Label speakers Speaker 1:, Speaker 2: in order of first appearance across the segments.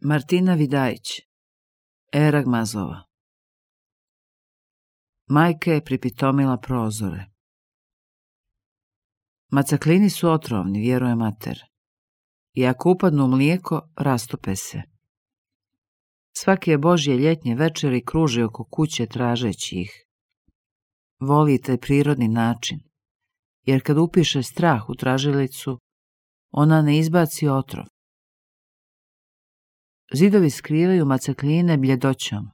Speaker 1: Martina Vidajić, Erag Mazova. Majka je pripitomila prozore. Macaklini su otrovni, vjeruje mater. I ako upadnu u mlijeko, rastope se. Svaki je Božje ljetnje večeri kruži oko kuće tražeći ih. Voli taj prirodni način, jer kad upiše strah u tražilicu, ona ne izbaci otrov. Zidovi skrivaju macakline bljedoćom.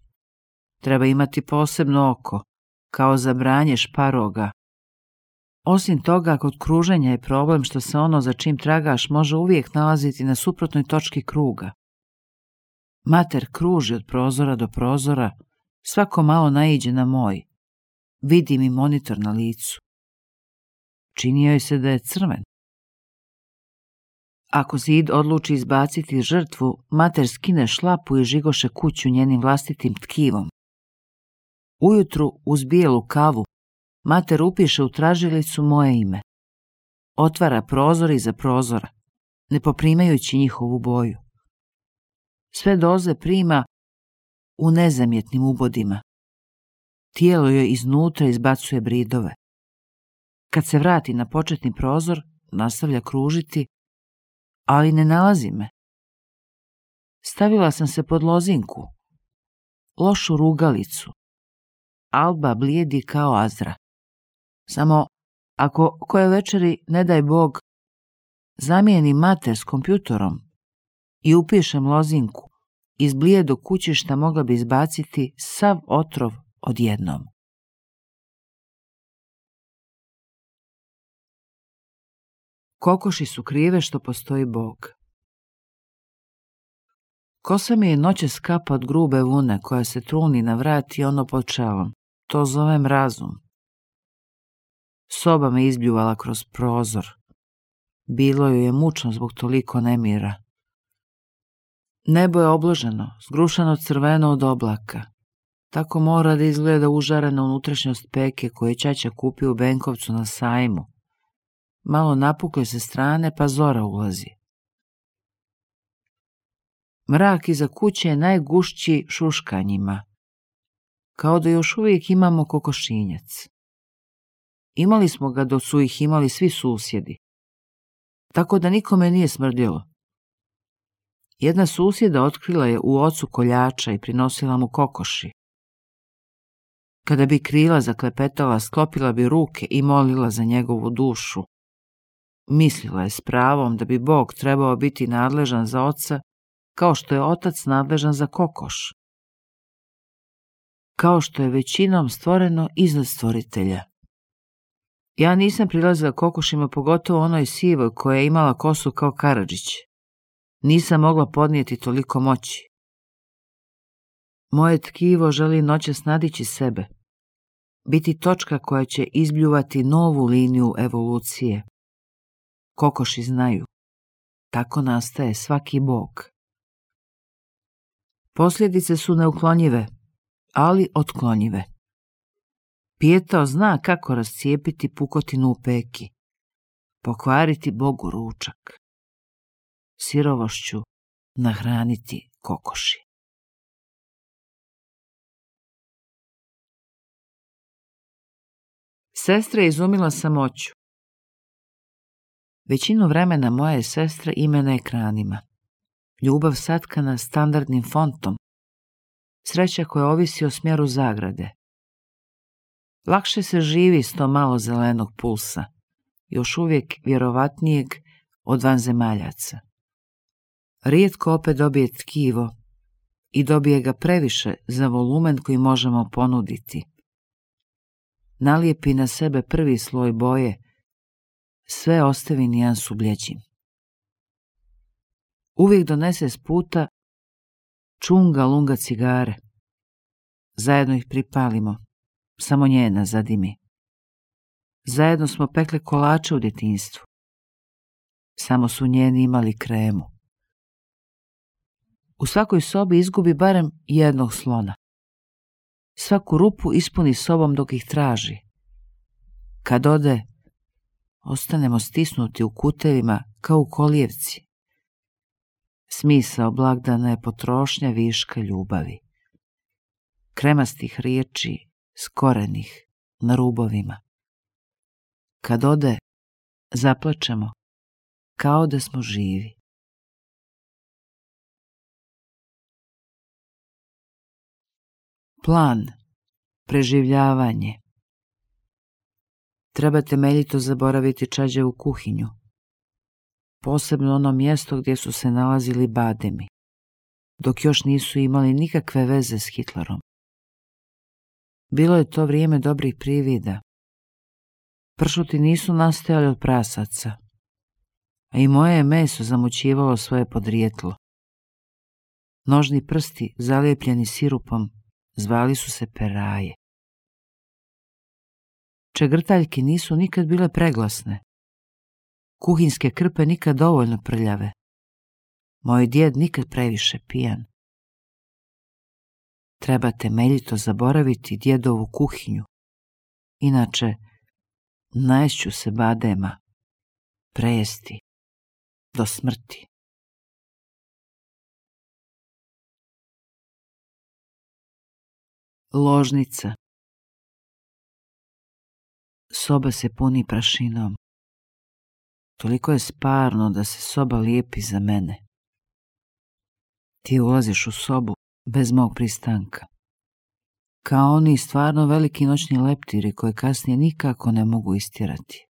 Speaker 1: Treba imati posebno oko, kao za branje šparoga. Osim toga, kod kruženja je problem što se ono za čim tragaš može uvijek nalaziti na suprotnoj točki kruga. Mater kruži od prozora do prozora, svako malo naiđe na moj. Vidi mi monitor na licu. Čini joj se da je crven. Ako Zid odluči izbaciti žrtvu, mater skine šlapu i žigoše kuću njenim vlastitim tkivom. Ujutru, uz bijelu kavu, mater upiše u tražilicu moje ime. Otvara prozor iza prozora, ne poprimajući njihovu boju. Sve doze prima u nezamjetnim ubodima. Tijelo joj iznutra izbacuje bridove. Kad se vrati na početni prozor, nastavlja kružiti, ali ne nalazi me. Stavila sam se pod lozinku, lošu rugalicu. Alba blijedi kao Azra. Samo ako koje večeri, ne daj Bog, zamijenim mater s kompjutorom i upišem lozinku, iz blijedog kućišta mogla bi izbaciti sav otrov odjednom. Kokoši su krive što postoji Bog. Kosa mi je noćas kapa od grube vune koja se truni na vrat i ono pod čelom. To zovem razum. Soba me izbljuvala kroz prozor. Bilo joj je mučno zbog toliko nemira. Nebo je obloženo, zgrušano crveno od oblaka. Tako mora da izgleda užarena unutrašnjost peke koju je ćaća kupio u Benkovcu na sajmu. Malo napukle se strane, pa zora ulazi. Mrak iza kuće je najgušći šuškanjima, kao da još uvijek imamo kokošinjac. Imali smo ga dok su ih imali svi susjedi, tako da nikome nije smrdjelo. Jedna susjeda otkrila je u ocu koljača i prinosila mu kokoši. Kada bi krila zaklepetala, sklopila bi ruke i molila za njegovu dušu. Mislila je s pravom da bi Bog trebao biti nadležan za oca, kao što je otac nadležan za kokoš. Kao što je većinom stvoreno iznad stvoritelja. Ja nisam prilazila kokošima, pogotovo onoj sivoj koja je imala kosu kao Karadžić. Nisam mogla podnijeti toliko moći. Moje tkivo želi noćas nadići sebe, biti točka koja će izbljuvati novu liniju evolucije. Kokoši znaju. Tako nastaje svaki Bog. Posljedice su neuklonjive, ali otklonjive. Pijetao zna kako rascijepiti pukotinu u peki, pokvariti Bogu ručak, sirovošću nahraniti kokoši. Sestra je izumila samoću. Većinu vremena moja je sestra ime na ekranima. Ljubav satkana standardnim fontom. Sreća koja ovisi o smjeru zagrade. Lakše se živi s to malo zelenog pulsa, još uvijek vjerovatnijeg od vanzemaljaca. Rijetko opet dobije tkivo i dobije ga previše za volumen koji možemo ponuditi. Nalijepi na sebe prvi sloj boje, sve ostavi nijansu bljeđim. Uvijek donese s puta čunga lunga cigare. Zajedno ih pripalimo, samo njena zadimi. Zajedno smo pekle kolače u djetinjstvu. Samo su njeni imali kremu. U svakoj sobi izgubi barem jednog slona. Svaku rupu ispuni sobom dok ih traži. Kad ode, ostanemo stisnuti u kutevima kao u kolijevci. Smisao blagdana je potrošnja viška ljubavi, kremastih riječi, skorenih na rubovima. Kad ode, zaplačemo kao da smo živi. Plan, preživljavanje. Treba temeljito zaboraviti čađavu kuhinju, posebno ono mjesto gdje su se nalazili bademi, dok još nisu imali nikakve veze s Hitlerom. Bilo je to vrijeme dobrih privida. Pršuti nisu nastajali od prasaca, a i moje je meso zamućivalo svoje podrijetlo. Nožni prsti, zalijepljeni sirupom, zvali su se peraje. Čegrtaljke nisu nikad bile preglasne. Kuhinjske krpe nikad dovoljno prljave. Moj djed nikad previše pijan. Treba temeljito zaboraviti djedovu kuhinju. Inače, naješću se badema, prejesti, do smrti. Ložnica. Soba se puni prašinom. Toliko je sparno da se soba lijepi za mene. Ti ulaziš u sobu bez mog pristanka. Kao oni stvarno veliki noćni leptiri koje kasnije nikako ne mogu istjerati.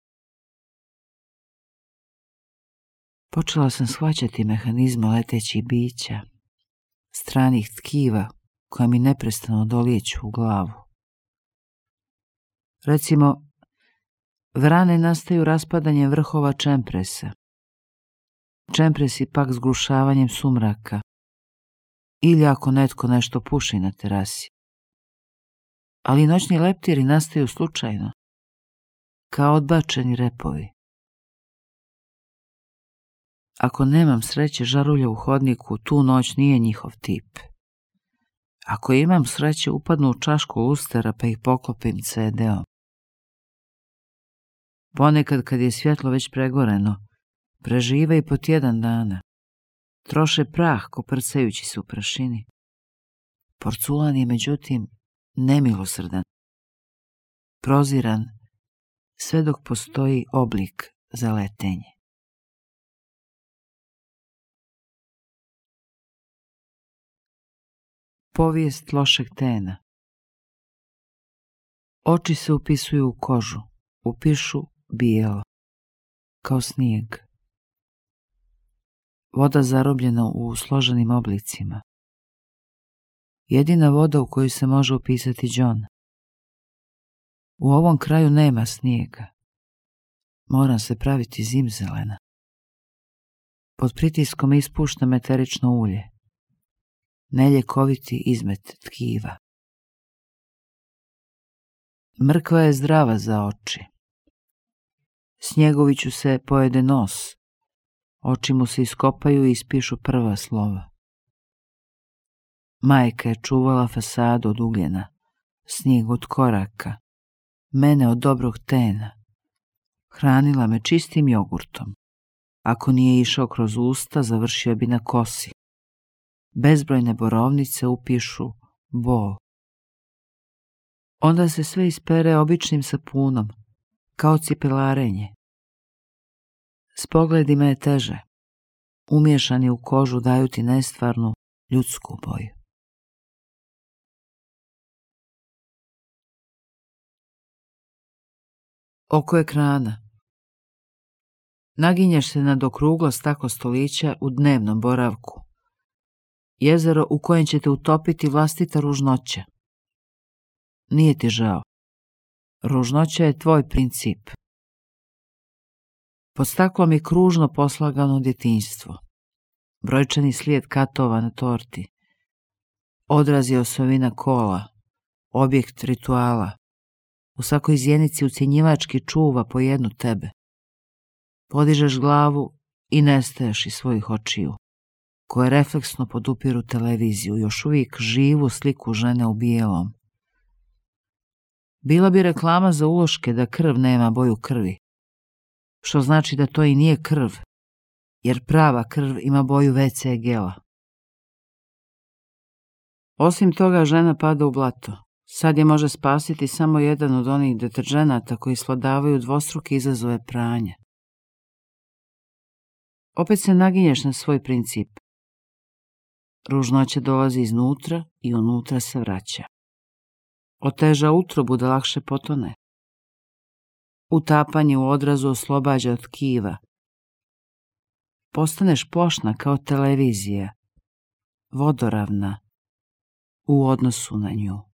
Speaker 1: Počela sam shvaćati mehanizme letećih bića, stranih tkiva koja mi neprestano dolijeću u glavu. Recimo, vrane nastaju raspadanjem vrhova čempresa, čempresi pak zglušavanjem sumraka, ili ako netko nešto puši na terasi. Ali noćni leptiri nastaju slučajno, kao odbačeni repovi. Ako nemam sreće žarulja u hodniku, tu noć nije njihov tip. Ako imam sreće, upadnu u čašku lustera pa ih poklopim CD-om. Ponekad, kad je svjetlo već pregoreno, prežive i po tjedan dana. Troše prah koprcajući se u prašini. Porculan je, međutim, nemilosrdan, proziran, sve dok postoji oblik za letenje. Povijest lošeg tena. Oči se upisuju u kožu, upišu bijelo, kao snijeg. Voda zarobljena u složenim oblicima. Jedina voda u koju se može upisati John. U ovom kraju nema snijega. Moram se praviti zimzelena. Pod pritiskom ispuštam eterično ulje. Neljekoviti izmet tkiva. Mrkva je zdrava za oči. Snjegoviću se pojede nos. Oči mu se iskopaju i ispišu prva slova. Majka je čuvala fasadu od ugljena, snijeg od koraka, mene od dobrog tena. Hranila me čistim jogurtom. Ako nije išao kroz usta, završio bi na kosi. Bezbrojne borovnice upišu bol. Onda se sve ispere običnim sapunom, kao cipelarenje. S pogledima je teže. Umiješani u kožu daju ti nestvarnu ljudsku boju. Oko ekrana. Naginješ se nad okruglo staklo stolića u dnevnom boravku. Jezero u kojem će te utopiti vlastita ružnoća. Nije ti žao. Ružnoća je tvoj princip. Pod staklom je kružno poslagano djetinjstvo. Brojčani slijed katova na torti. Odraz je osovina kola. Objekt rituala. U svakoj zjenici ucjenjivački čuva po jednu tebe. Podižeš glavu i nestaješ iz svojih očiju, koje refleksno podupiru televiziju, još uvijek živu sliku žene u bijelom. Bila bi reklama za uloške da krv nema boju krvi, što znači da to i nije krv, jer prava krv ima boju WC gela. Osim toga, žena pada u blato. Sad je može spasiti samo jedan od onih deterdženata koji svladavaju dvostruke izazove pranja. Opet se naginješ na svoj princip. Ružnoća dolazi iznutra i unutra se vraća. Oteža utrobu da lakše potone. Utapanje u odrazu oslobađa od tkiva. Postaneš plošna kao televizija, vodoravna u odnosu na nju.